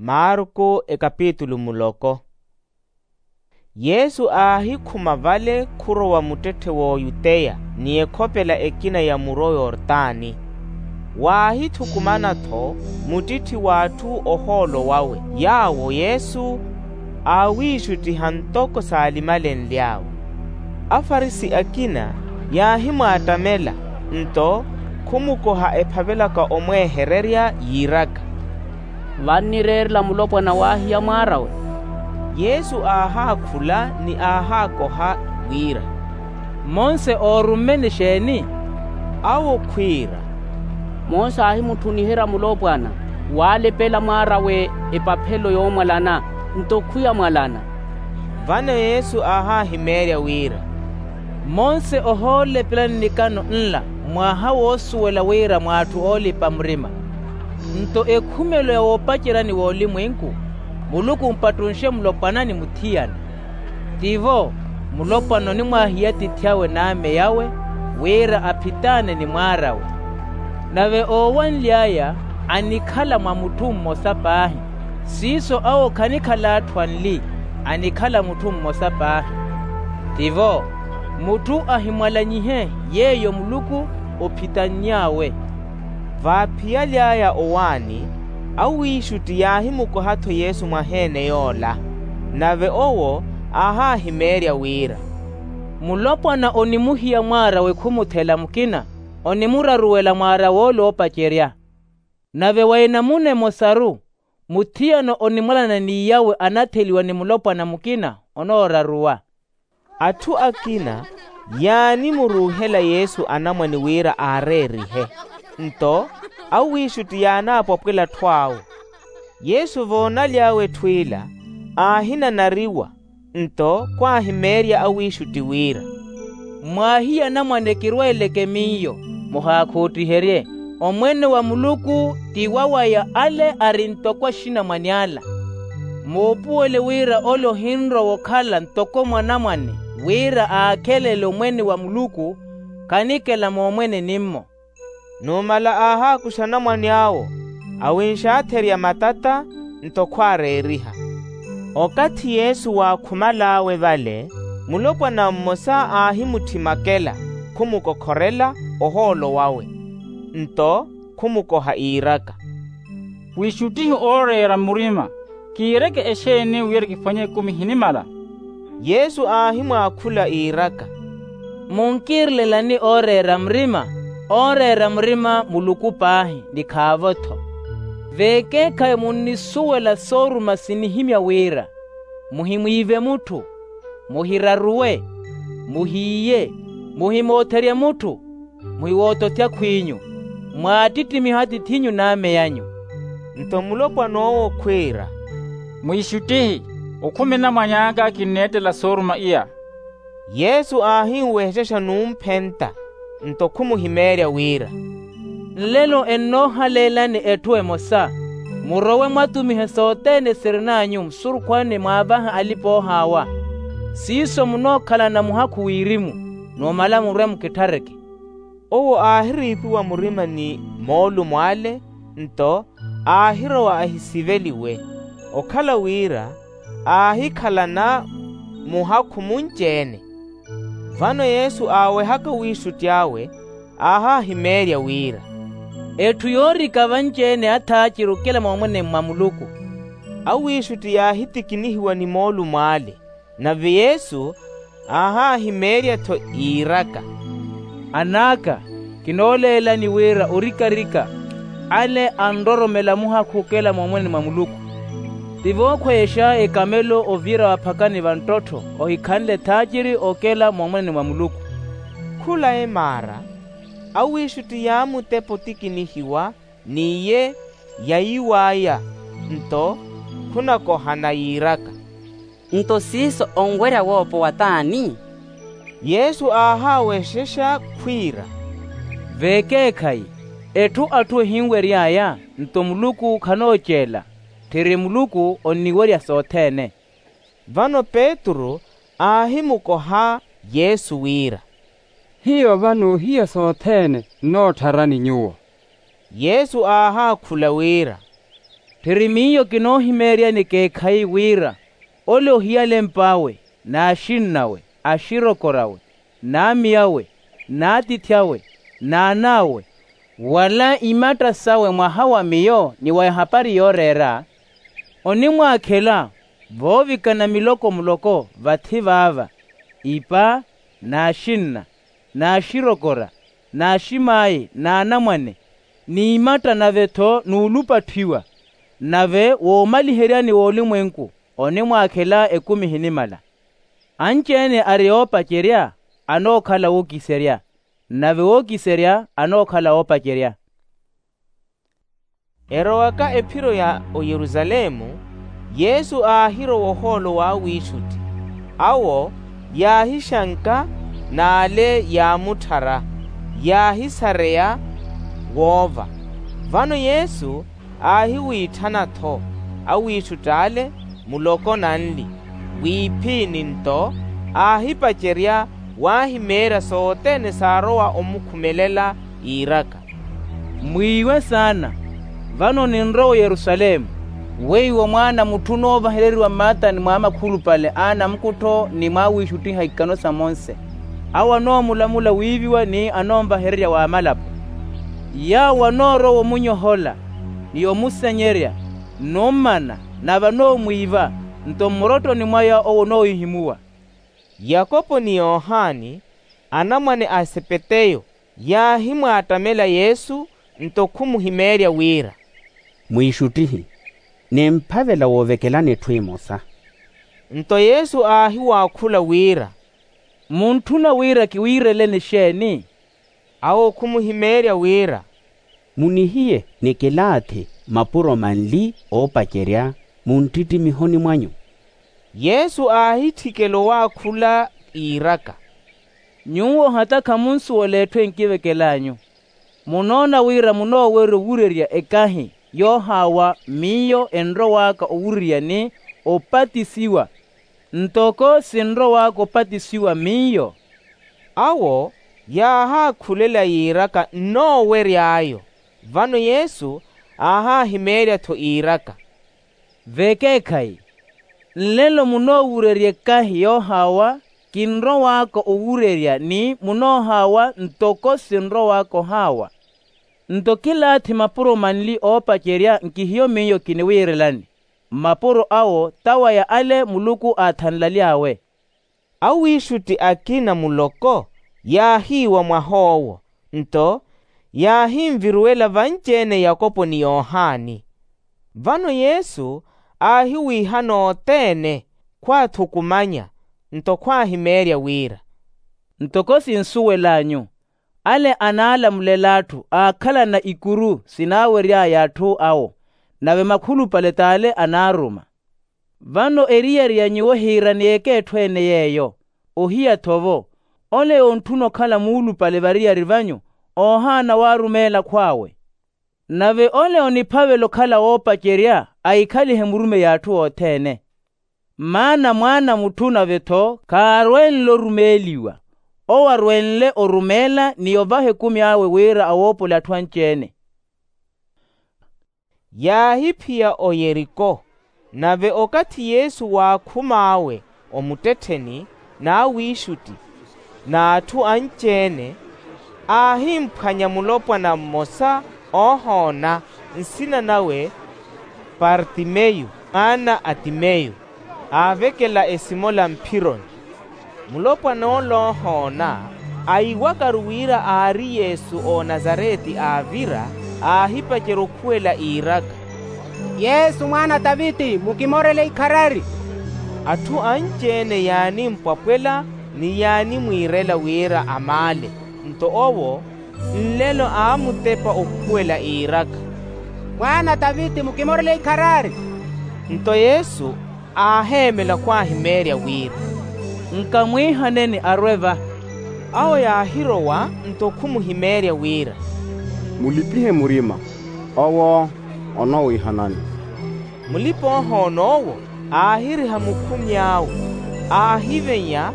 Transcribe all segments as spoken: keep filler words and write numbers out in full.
Marku ekapitulu muloko. Yesu aahikhuma vale khurowa muttetthe w'oyuteya ni ekhopela ekina ya muro yortani. Waahithukumana-tho muttitthi w'atthu ohoolo wawe, yaawo yesu aawiixuttiha ntoko saalimalenly'awe. Afarisi akina yaahimwaattamela, nto khumukoha ephavelaka omweehererya yiiraka, vannireerela mulopwana waahiya mwaar'awe? Yesu aahaakhula ni aahaakoha wira, monse oorumme ni xeeni? Awo khwiira, monse aahimutthuniherya mulopwana waalepela mwaar'awe epaphelo yoomwalana, nto khwiyamwalana. Vano yesu aahaahimeerya wira, monse ohoolepelani nikano nla, mwaha woosuwela wira mw'atthu oolipa murima. Nto ekhumelo ya woopaceryani w'olimwenku, muluku ompattunxe mulopwana ni muthiyana. Tivo, mulopwana onimwaahiya atiithi awe n'ame awe, wira aphitaane ni mwaar'awe. Nave oowanly'aya anikhala mwa mutthu mmosa paahi, siiso awo khanikhala atthu anli, anikhala mutthu mmosa paahi. Tivo, mutthu ahimwalanyihe yeeyo muluku ophitanny'awe. Vaaphiyaly'aya owaani, awiixutti yaahimukoha-tho yesu mwaheene yoola. Nave owo aahaahimeerya wira, mulopwana onimuhiya mwaar'awe khumuthela mukina, onimuraruwela mwaar'awe ole oopacerya. Nave wa enamuna emosaru, muthiyana onimwalana n'iy'awe anatheliwa ni mulopwana mukina onooraruwa. Atthu akina yaanimuruuhela yesu anamwane wira aareerihe, nto awiixutti yaanaapwapwela atthu awe. Yesu voonaly'awe etthu ila, aahinanariwa, nto khwaahimeerya awiixutti wira, mwaahiya anamwane kirweeleke miyo, muhaakhoottiherye. Omwene wa muluku ti wawaya ale ari ntoko axinamwane ala. Muupuwele wira ole ohinrowa okhala ntoko mwanamwane, wira aakhelele omwene wa muluku, khanikela moomwene nimmo. Numala aahaakuxa anamwane awo, awinxaatherya matata, nto khwaareeriha. Okathi yesu waakhumal'awe vale, mulopwana mmosa aahimutthima akela, khumukokhorela ohoolo wawe, nto khumukoha iiraka, wiixuttihi ooreera murima, kiireke exeeni wira kiphwanye ekumi ehinimala? Yesu aahimwaakhula iiraka, munkiirelelani ooreera murima? Ooreera murima muluku paahi ni khaavo-tho. Veekeekhayi munnisuwela sooruma sinihimya wira, muhimwiive mutthu, muhiraruwe, muhiiye, muhimootherye mutthu, muhiwootothi akhw'inyu, mwaattittimihe atiith'inyu n'ame anyu. Nto mulopwana owo khwiira, mwiixuttihi, okhumi anamwane aka kinneettela sooruma iya. Yesu aahinwexexa numphenta, nto khumuhimeerya wira, nlelo ennoohaleelani etthu emosa, murowe mwatumihe sothene sirin'anyu musurukhwane mwaavahe alipa-oohaawa. Siiso munookhalana muhakhu wirimu, numala murwe mukitthareke. Owo aahiriipiwa murima ni moolumo ale, nto aahirowa ahisiveliwe, okhala wira aahikhalana muhakhu munci-ene. Vano yesu aawehaka wiixutti awe, aahaahimeerya wira, etthu yoorika vanci-ene athaaciri okela moomwene mwa muluku. Awiixutti yaahitikinihiwa ni moolumo ale. Nave yesu aahaahimeerya-tho, iiraka, an'aka, kinooleelani wira orikarika ale anroromela muhakhu okela moomwene mwa muluku. Ti vookhweexa ekamelo ovira vaphakani va nttottho ohikhanle ethaaciri okela moomwene mwa muluku. Khula emaara, awiixutti yaamutepa otikinihiwa, n'iye yayiw'aya, nto khunakohana yiiraka, nto siiso onwerya woopowa t'ani? Yesu aahaawexexa khwiira, veekeekhayi, etthu atthu ehinwery'aya, nto muluku khanooceela. Tthiri muluku onniwerya sothene. Vano petru aahimukoha yesu wira, hiyo vano ohiya sothene nnoottharani nyuwo. Yesu aahaakhula wira, Khiri miyo kinoohimeeryani ekeekhayi wira ole ohiyala emp'awe, n'axinn'awe, axirokor'awe, n'amiyawe, n'atiithi awe, n'an'awe, wala imatta sawe mwaha wa miyo ni wa ehapari yooreera, onimwaakhela voovikana miloko muloko vathi vaava, ipa, n'axinna, n'axirokora, n'aximaayi, n'anamwane, n'imatta nave-tho n'ulupatthiwa. Nave woomaliheryani w'olimwenku onimwaakhela ekumi ehinimala. Anci-ene ari oopacerya anookhala wookiserya, nave wookiserya anookhala oopacerya. Erowaka ephiro ya oyerusalemu, yesu aahirowa ohoolo w'awiixutti. Awo yaahixanka n'ale yaamutthara, yaahisareya woova. Vano yesu aahiwiitthana-tho awiixutt'ale muloko nanli, w'iphini nto aahipacerya waahimeerya sothene saarowa omukhumelela, iiraka, mwiiwe saana, vano ninrowa oyerusalemu, weiwo mwaana a mutthu onoovahereriwa mmaatani mw'amakhulupale a anamukuttho ni mw'awiixuttiha ikano sa monse. Awo anoomulamula wiiviwa ni anoonvahererya w'amalapo. Yaawo anoorowa omunyohola, ni omusenyerya, n'ommana, nave anoomwiiva, nto mmurottoni mwaya owo onoohihimuwa. Yakopo ni yohani, anamwane a sepeteyo, yaahimwaattamela yesu, nto khumuhimeerya wira, mwiixuttihi, nimphavela woovekelani etthu emosa. Nto yesu aahiwaakhula wira, muntthuna wira kiwiireleni xeeni? Awo khumuhimeerya wira, munihiye nikilaathi mapuro manli oopacerya munttittimiho ni mwanyu. Yesu aahitthikela owaakhula, iiraka, nyuwo hata khamunsuwela etthu enkivekel'anyu. Munoona wira munoowerya owurerya ekahi yoohaawa miyo enrow'aka owurerya ni opatisiwa, ntoko sinrow'aka opatisiwa miyo? Awo yaahaakhulela yiiraka nnoowery'ayo. Vano yesu aahaahimeerya-tho iiraka, vekeekhayi, nlelo munoowurerya ekahi yoohaawa kinrow'aka owurerya ni munoohaawa ntoko sinrow'aka ohaawa. Nto kilaathi mapuro manli oopacerya nkihiyo miyo kiniwiirelani, mmapuro awo t'awaya ale muluku aathanlaly'awe. Awiixutti akina muloko yaahiiwa mwah'owo, nto yaahinviruwela vanci-ene yakopo ni yohani. Vano yesu aahiwiihana othene, khwaathukumanya, nto khwaahimeerya wira, ntoko sinsuwel'anyu, ale anaalamulel'atthu aakhalana ikuru sinaawery'aya atthu awo, nave makhulupale t'ale anaaruma. Vano eriyari ya nyuwo hiirani ekeetthu-ene yeeyo. Ohiya-tho-vo, ole yontthuna okhala muulupale variyari vanyu, oohaana waarumeela akhw'awe. Nave ole oniphavela okhala woopacerya, ahikhalihe murumeyi a atthu othene. Maana mwaana a mutthu nave-tho khaarwenle orumeeliwa, owo arwenle orumeela ni ovaha ekumi awe wira awoopole atthu anci-ene. Yaahiphiya oyeriko. Nave okathi yesu waakhum'awe omuttettheni n'awiixutti n'atthu anci-ene, aahimphwanya mulopwana mmosa oohoona, nsina nawe partimeyu mwaana a timeyu, aavekela esimola mphironi. Mulopwan'ola oohoona, aiwakaru wira aari yesu onazareti aavira, aahipacerya okhuwela iiraka, yesu mwaana a taviti mukimorele ikharari. Atthu anci-ene yaanimpwapwela ni yaanimwiirela wira amaale. Nto owo nlelo aamutepa okhuwela iiraka, mwaana a taviti mukimorele ikharari. Nto yesu aaheemela khwaahimeerya wira, nkamwiihaneni arwe va. Awo yaahirowa nto khumuhimeerya wira, mulipihe murima, owo onoowiihanani. Mulipa-ohoona owo aahiriha mukhumi awe, aahivenya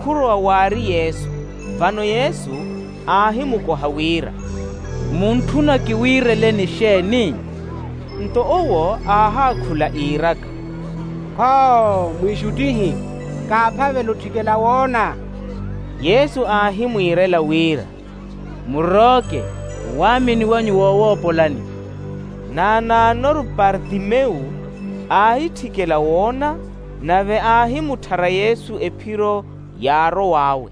khurowa waari yesu. Vano yesu aahimukoha wira, muntthuna kiwiireleni xeeni? Nto owo aahaakhula iiraka, kho, mwiixuttihi, kaaphavela otthikela woona. Yesu aahimwiirela wira, murooke, owaamini wanyu woowoopolani. Naanaanoru parthimewu aahitthikela woona, nave aahimutthara yesu ephiro yaarow'awe.